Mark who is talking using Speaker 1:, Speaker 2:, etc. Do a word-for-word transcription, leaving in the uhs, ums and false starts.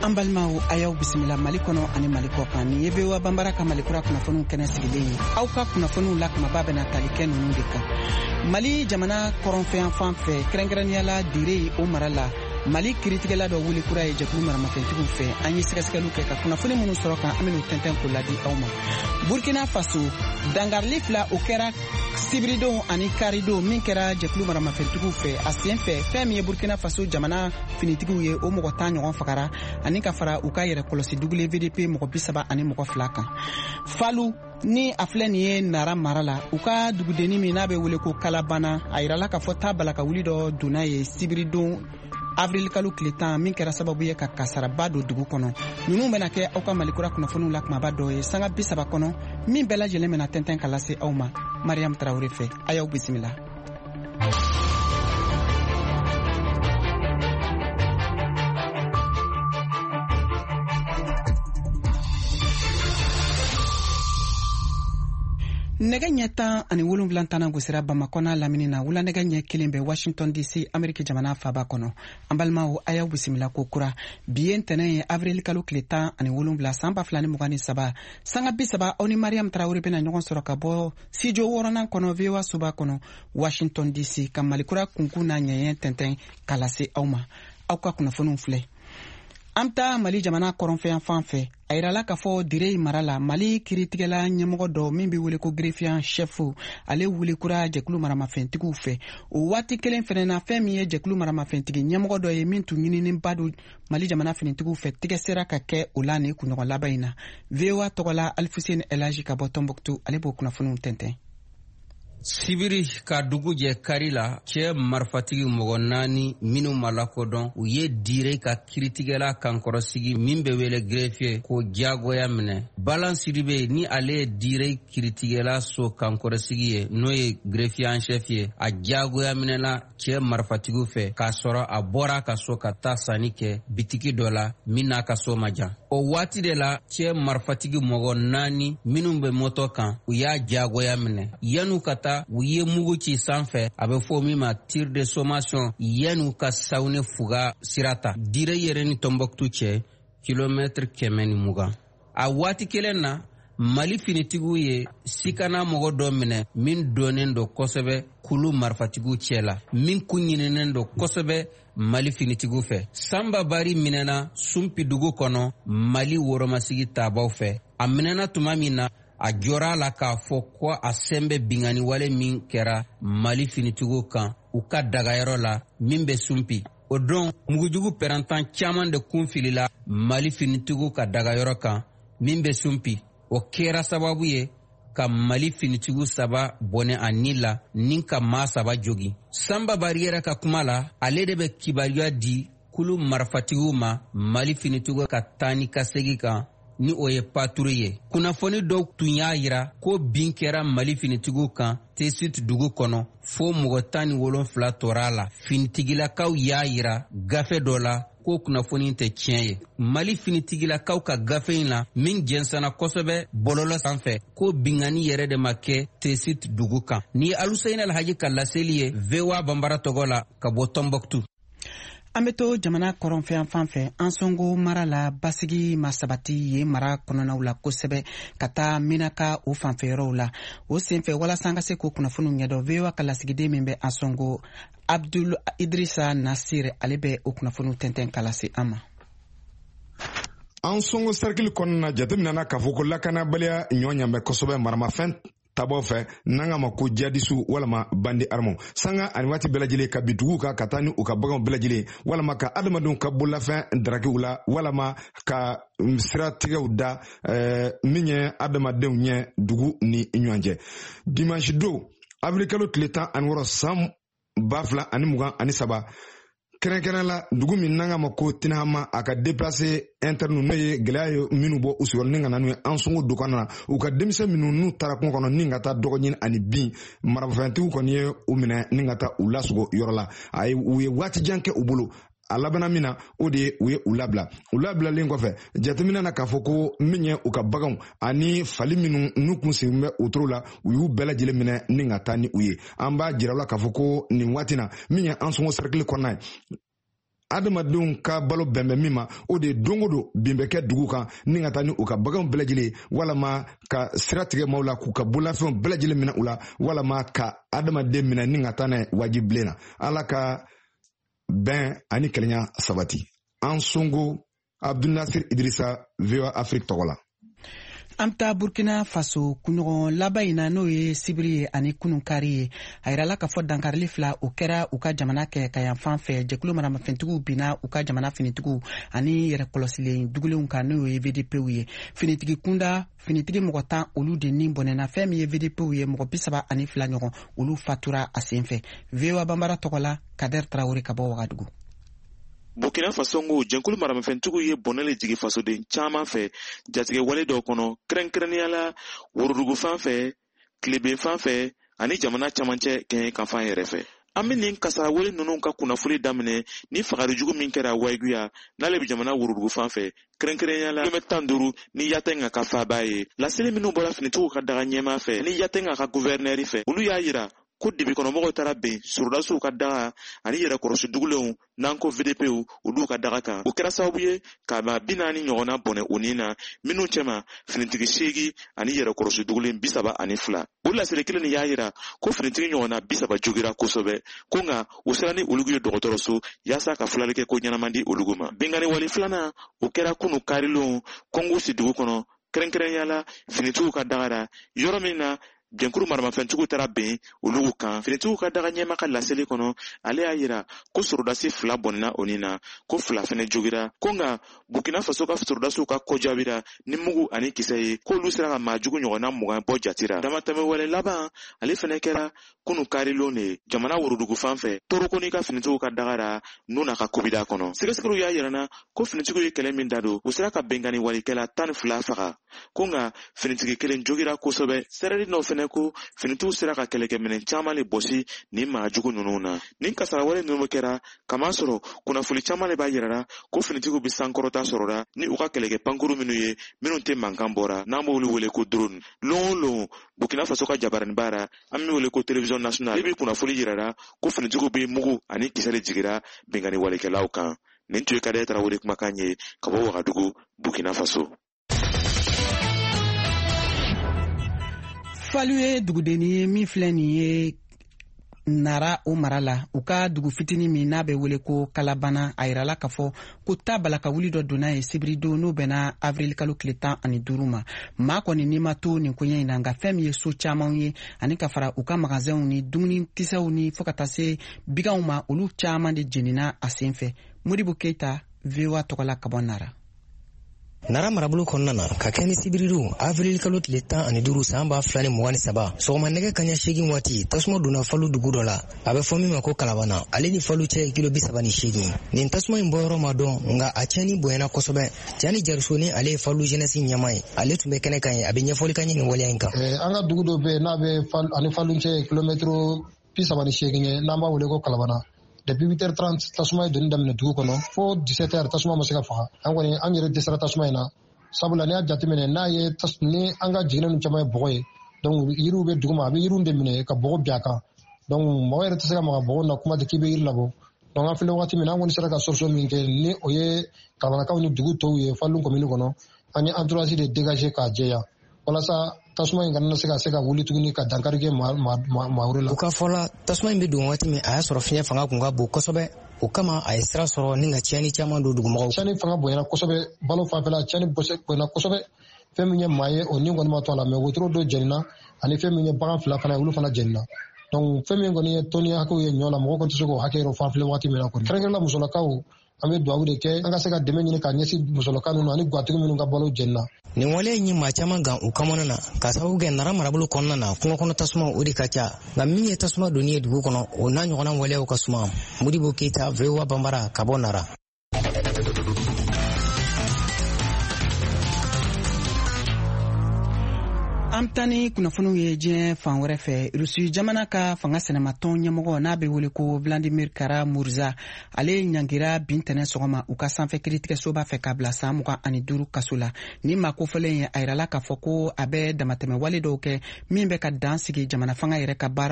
Speaker 1: An balimaw, a y'aw bisimila Mali kɔnɔ ani Mali kɔ kan. Nin ye V O A Banbara ka Malikura kunnafoniw kɛnɛ sigilen ye. Aw ka kunnafoniw la kumaba bɛna tali kɛ ninnu de kan: Mali jamana kɔrɔnfɛyan fan fɛ, kɛrɛnkɛrɛnnenya la Dire o mara la, Mali kiritigɛla dɔ wuli kura ye jɛkulu maramafɛntigiw fɛ. An ye sɛgɛsɛgɛliw kɛ ka kunnafoni minnu sɔrɔ kan, an bɛn'u tɛntɛn k'o ladi aw ma. Burkina Faso, dangarili fila o kɛra sibiridon ani karidon min kɛra jɛkulu maramafɛntigiw fɛ. A sen fɛ, fɛn min ye Burkina Faso jamana finitigiw ye, o mɔgɔ tan ɲɔgɔn fagara, ani ka fara u ka yɛrɛ kɔlɔsi dugulen V D P mɔgɔ bi saba ani mɔgɔ fila kan. Falu ni a filɛ nin ye Nara mara la, u ka dugudenni min n'a bɛ wele ko Kalabana, a yirala k'a fɔ ta bala ka wuli dɔ donna ye sibiridon avril kalo tile tan, min kɛra sababu ye ka kasaraba don dugu kɔnɔ. Ninnu bɛna kɛ aw ka Malikura kunnafoniw la kumaba dɔ ye sanga bi saba kɔnɔ, min bɛɛ lajɛlen bɛna tɛntɛn ka lase aw ma Mariam Tarawure fɛ. A y'aw bisimila. Nɛgɛ ɲɛ tan ani wolonwula tana gosira Bamakɔ n'a lamini na, wula nɛgɛ ɲɛ kelen bɛ Washington D C, Ameriki jamana faba kɔnɔ. An balimaw, a y'aw bisimila ko kura. Bi ye ntɛnɛn ye, avril kalo tile tan ani wolonwula, san ba fila ni mugan ni saba. Sanga bi saba, aw ni Mariam Tarawure bɛna ɲɔgɔn sɔrɔ ka bɔ studio wɔɔrɔnan kɔnɔ, V O A soba kɔnɔ, Washington D C, ka Malikura kunkun n'a ɲɛɲɛ tɛntɛn ka lase aw ma. Aw ka kunnafoniw filɛ. An bɛ taa Mali jamana kɔrɔnfɛyan fan fɛ. A yirala k'a fɔ Dire mara la, Mali kiritigɛla ɲɛmɔgɔ dɔ min bɛ wele ko greffier chef, ale wuli kura jɛkulu maramafɛntigiw fɛ. O waati kelen fɛnɛ na, fɛn min ye jɛkulu maramafɛntigi ɲɛmɔgɔ dɔ ye min tun ɲininenba don Mali jamana finitigiw fɛ, tigɛ sera ka kɛ o la nin kunɲɔgɔn laban in na. V O A tɔgɔla, Alifuseni Elaji ka bɔ Tɔnbɔkutu, ale b'o kunnafoniw tɛntɛn.
Speaker 2: Sibiri ka dugu jɛ kari la, cɛɛ marifatigi mɔgɔ naani minw ma lakodɔn, u ye Dire ka kiritigɛla kankɔrɔsigi min be wele greffier k'o diyagoya minɛ. Balan Sidibe ni ale ye Dire kiritigɛla so kankɔrɔsigi ye, n'o ye greffier en chef ye, a diyagoya minɛla cɛɛ marifatigiw fɛ k'a sɔrɔ a bɔra a ka so ka taa sanni kɛ bitiki dɔ la min n'a ka so ma jan. O waati de la, cɛɛ marifatigi mɔgɔ naani minw be mɔtɔ kan, u y'a diyagoya minɛ. Yan'u ka taa, u ye mugu ci sanfɛ, a bɛ fɔ min ma tir de sommation, yan'u ka Sawune Fuga sira ta, Dire yɛrɛ ni Tɔnbɔkutu cɛ kilomɛtiri kɛmɛ ni mugan. A waati kelen na, Mali finitigiw ye sikana mɔgɔ dɔ minɛ min dɔnnen don kosɛbɛ kulu marifatigiw cɛ la, min kun ɲininen don kosɛbɛ Mali finitigiw fɛ. Sanba Bari minɛna Sunpi dugu kɔnɔ Mali woromasigi tabaw fɛ. A minɛna tuma min na, a jɔra a la k'a fɔ ko a sen bɛ bingani wale min kɛra Mali finitigiw kan u ka dagayɔrɔ la min bɛ Sunpi. O don, mugujugu pɛrɛntan caaman de kun filila Mali finitigiw ka dagayɔrɔ kan min bɛ Sunpi. O kɛra sababu ye ka Mali finitigiw saba bɔnɛ a ni la ni ka maa saba jogi. Sanba Bari yɛrɛ ka kuma la, ale de bɛ kibaruya di kulu marifatigiw ma Mali finitigiw ka taa ni ka segi kan, ni o ye patrouille ye. Kunnafoni dɔw tun y'a yira ko bin kɛra Mali finitigiw kan Tesit dugu kɔnɔ, fo mɔgɔ tan ni wolonfila tora a la. Finitigilakaw y'a yira gafe dɔ la ko kunnafoni tɛ tiɲɛ ye. Mali finitigilakaw ka gafe in na min jɛnsɛnna kosɛbɛ bɔlɔlɔ sanfɛ, ko bingani yɛrɛ de ma kɛ Tesit dugu kan. Ni ye Aluseyini Alhaji ka laseli ye V O A Banbara tɔgɔ la ka bɔ Tɔnbɔkutu.
Speaker 1: An be to jamana kɔrɔnfɛyan fan fɛ, Ansongo mara la, basigi ma sabati ye mara kɔnɔnaw la kosɛbɛ ka taa Minaka o fanfɛyɔrɔw la. O senfɛ, walasa an ka se k'o kunnafoniw ɲɛdɔn, V O A ka lasigiden min bɛ Ansongo, Abdul Idrisa Nasir, ale bɛ o kunnafoniw tɛntɛn ka lase an ma.
Speaker 3: Ansongo sɛrikili kɔnɔna na, jateminɛna k'a fɔ ko lakanabaliya ɲɔ ɲanbɛ kosɛbɛ maramafɛn tabaw fɛ, n'an ka ma ko jihadistew walama bandits armés, sanga ani waati bɛɛ lajɛlen ka bi duguw kan ka taa ni u ka baganw bɛɛ lajɛlen, walama ka adamadenw ka bololafɛn darakiw la, walama ka siratigɛw da eh, min ye adamadenw ɲɛ dugu ni ɲɔgɔn cɛ. Dimanche don, avril kalo tile tan ani wɔɔrɔ, san ba fila ani mugan ani saba, kɛrɛnkɛrɛn la dugu min n'an ka ma ko Tinahama, a ka déplacé interne, n'o ye gɛlɛya ye minnu bɔ u sigiyɔrɔ ni ka na n'u ye Ansongo du kɔnɔna na, u ka denmisɛn minnu n'u taara kungo kɔnɔ ni ka taa dɔgɔ ɲini ani bin, marafɛntigiw kɔni ye u minɛ ni ka taa u lasogo yɔrɔ la. A ye u ye waati jan kɛ u bolo. A labanna min na, o de ye u ye u labila. U labilalen kɔfɛ, jateminɛ na k'a fɔ ko min ye u ka baganw ani fali minnu n'u kun sen bɛ otoro la, u y'u bɛɛ lajɛlen minɛ ni ka taa ni u ye. An b'a jira u la k'a fɔ ko nin waati na, min ye Ansongo sɛrikili kɔnɔna ye, adamadenw ka balo bɛn bɛ min ma, o de ye don o don bin bɛ kɛ dugu kan ni ka taa ni u ka baganw bɛɛ lajɛlen, walama ka sira tigɛ maaw la k'u ka bololafɛnw bɛɛ lajɛlen minɛ u la, walama ka adamaden minɛ ni ka taa n'a ye wajibilen na. Ala ka bɛn ani kelenya sabati. An Songo, Abdul Nasir Idrissa, V O A Afrique tɔgɔ la.
Speaker 1: An bɛ taa Burkina Faso kunɲɔgɔn laban in na, n'o ye sibiri ye ani kununkari ye. A yirala k'a fɔ dankarili fila o kɛra u ka jamana kɛ ka yan fan fɛ. Jɛkulu maramafɛntigiw binna u ka jamana finitigiw ani yɛrɛkɔlɔsilen dugulenw kan, n'o ye V D Pw ye. Finitigi kunda finitigi mɔgɔ tan olu de ni bɔnɛna. Fɛn min ye V D Pw ye, mɔgɔ bi saba ani fila ɲɔgɔn olu fatura a sen fɛ. V O A Banbara tɔgɔ la, Kader Traoré ka bɔ Wagadugu.
Speaker 4: Burkina Faso ko jɛnkulu maramafɛntigiw ye bɔnɛ le jigi fasoden caman fɛ jatigɛ wale dɔw kɔnɔ, kɛrɛnkɛrɛnnenya la worodugu fan fɛ, tileben fan fɛ ani jamana camancɛ kɛɲɛkanfan yɛrɛ fɛ. An bɛ nin kasara wale ninnu ka kunnafoni daminɛ ni fagalijugu min kɛra Wayiguya n'ale bɛ jamana worodugu fan fɛ, kɛrɛnkɛrɛnnenya la kilomɛtɛrɛ tan duuru ni Yatenga ka faaba ye. Laseli minnu bɔra finitigiw ka daga ɲɛmaa fɛ ni Yatenga ka guvɛrinɛri fɛ, olu y'a yira ko dibikɔnɔmɔgɔw taara ben sɔrɔdasiw ka daga ani yɛrɛkɔrɔsi dugulenw n'an ko V D Pw olu ka daga kan. O kɛra sababu ye ka maa bi naani ɲɔgɔnna bɔnɛ u ni na, minnu cɛma finitigi seegin ani yɛrɛkɔrɔsi dugulen bi saba ani fila. O laseli kelen nin y'a yira ko finitigi ɲɔgɔnna bi saba jogira kosɛbɛ, ko nka u sera ni olu ye dɔgɔtɔrɔso yaasa ka filali kɛ ko ɲɛnama di olu ma. Binkanni wale filanan o kɛra kunu karilon Kɔngusi dugu kɔnɔ, kɛrɛnkɛrɛnnenya la finitigiw ka daga la, yɔrɔ min na jɛnkuru maramafɛntigiw taara ben olu kan. Finitigiw ka daga ɲɛma ka laseli kɔnɔ, ale y'a yira ko sɔrɔdasi fila bɔnna o ni na, ko fila fɛnɛ jogira, ko nka Burkina Faso ka sɔrɔdasiw ka kɔjaabira ni mugu ani kisɛ ye, k'olu sera ka maa jugu ɲɔgɔnna mugan bɔ jati ra. Damatɛmɛ wale laban ale fɛnɛ kɛra kunu karilon de ye jamana worodugu fan fɛ, Torokoni ka finitigiw ka daga ra Nuna ka kobida kɔnɔ. Sɛgɛsɛgɛliw y'a yira na ko finitigiw ye kɛlɛ min da don, u sera ka binkanni walikɛla tan ni fila faga, ko nka finitigi kelen jogira kosɛbɛ. Sɛrɛli dɔw fɛnɛ ko finitigiw sera ka kɛlɛkɛminɛn caman le bɔsi nin maa jugu ninnu na. Nin kasara wale ninnu kɛra kamasɔrɔ kunnafoni caman le b'a yira la ko finitigiw bɛ sankɔrɔta sɔrɔla ni u ka kɛlɛkɛ pankuru minnu ye minnu tɛ mankan bɔra, n'an b'olu wele ko drone. Lon o lon Burkina Faso ka jabaraninba ra, an bɛ wele ko télévision nationale, i bɛ kunnafoni yira la ko finitigiw bɛ mugu ani kisɛ de jigira binkanni walekɛlaw kan. Nin tun ye Kader Traoré kumakan ye ka bɔ Wagadugu, Burkina Faso.
Speaker 1: Falu ye dugudenni ye min filɛ nin ye Nara o mara la, u ka dugu fitinin min n'a bɛ wele ko Kalabana. A yirala k'a fɔ ko ta balaka wuli dɔ donna ye sibiridon, n'o bɛnna avril kalo tile tan ani duuru ma. Maa kɔni n'i ma to nin koɲɛ in na, nka fɛn min ye so camanw ye ani ka fara u ka magasɛnw ni dumunikisɛw ni fo ka taa se biganw ma, olu caman de jenina a sen fɛ. Modibo Keita, V O A tɔgɔ la ka bɔ Nara.
Speaker 5: Nara marabolo kɔnɔna na, ka kɛ ni sibiridon avril kalo tile tan ani duuru san ba fila ni mugan ni saba sɔgɔma nɛgɛ kaɲa seegin waati, tasuma donna Falu dugu dɔ la, a bɛ fɔ min ma ko Kalabana. Ale ni Falu cɛ ye kilo bi saba ni seegin. Nin tasuma in bɔyɔrɔ ma dɔn, nka a tiɲɛni bonyana kosɛbɛ. Jani Jariso ni ale ye Falu jeunesse ɲɛmaa ye, ale tun bɛ kɛnɛ kan ye, a bɛ ɲɛfɔli kan ye nin waleya in kan.
Speaker 6: An ka dugu dɔ bɛ yen n'a bɛ ani Falu cɛ ye kilomɛtiri bi saba ni seegin ye, n'an b'a wele ko Kalabana. Depuis huit heures trente tasuma ye donni daminɛ dugu kɔnɔ fo dix-sept heures tasuma ma se ka faga. An kɔni an yɛrɛ dɛsɛra tasuma in na, sabula n'i y'a jateminɛ n'a ye ni an ka jiginɛ ninnu caman ye bɔgɔ ye, donc yiriw bɛ duguma, a bɛ yiriw de minɛ ka bɔgɔ bin a kan, donc mɔgɔ yɛrɛ tɛ se ka maga bɔgɔ na, kuma tɛ k'i bɛ yiri labɔ. Donc an filɛ wagati min na, an kɔni sera ka solution min kɛ ni o ye Kalabanakaw ni dugu tɔw ye Falu commune kɔnɔ, an ye entourage de dégager k'a jɛya walasa tasuma in kana se ka se ka wuli tuguni ka dankari kɛ maa maa wɛrɛ la.
Speaker 5: U ka fɔ la, tasuma in bɛ don waati min, a y'a sɔrɔ fiɲɛ fanga kun ka bon kosɛbɛ, o kama a ye sira sɔrɔ ni ka tiɲɛni caman don dugumɔgɔw.
Speaker 6: Tiɲɛni fanga bonyana kosɛbɛ, balo fanfɛla tiɲɛni bonyana kosɛbɛ. Fɛn min ye maa ye o ni kɔni ma to a la, mɛ wotoro dɔ jenina ani fɛn min ye bagan fila fana ye olu fana jenina. Donc fɛn min kɔni ye tɔni hakɛw ye ɲɔ la, mɔgɔ kɔni tɛ se k'o hakɛ yɛrɛ fan filɛ waati min na kɔni. Kɛrɛnkɛrɛnnenya musolakaw, an bɛ dugawu de kɛ an ka se ka dɛmɛ ɲini ka ɲɛsin musolaka ninnu ani gatigi minnu ka balo jenina.
Speaker 5: Nin waleya in ye maa caman gan u kamana na, k'a sababu kɛ Nara marabolo kɔnɔna na kungo kɔnɔ tasuma o de ka ca, nka min ye tasuma donni ye dugu kɔnɔ, o n'a ɲɔgɔnna waleyaw ka suma. Modibo Keita, V O A Banbara ka bɔ Nara.
Speaker 1: An bɛ taa ni kunnafoniw ye diɲɛ fan wɛrɛ fɛ. Rusi jamana ka fanga sɛnɛmatɔn ɲɛmɔgɔ n'a bɛ wele ko Vladimir Kara-Murza, ale ɲangira bin tɛnɛ sɔgɔma u ka sanfɛ kiiritigɛsoba fɛ k'a bila san mugan ani duuru kaso la. Ni maa kofɔlen ye, a yirala k'a fɔ ko a bɛ damatɛmɛ wale dɔw kɛ min bɛ ka dan sigi jamana fanga yɛrɛ ka baaraw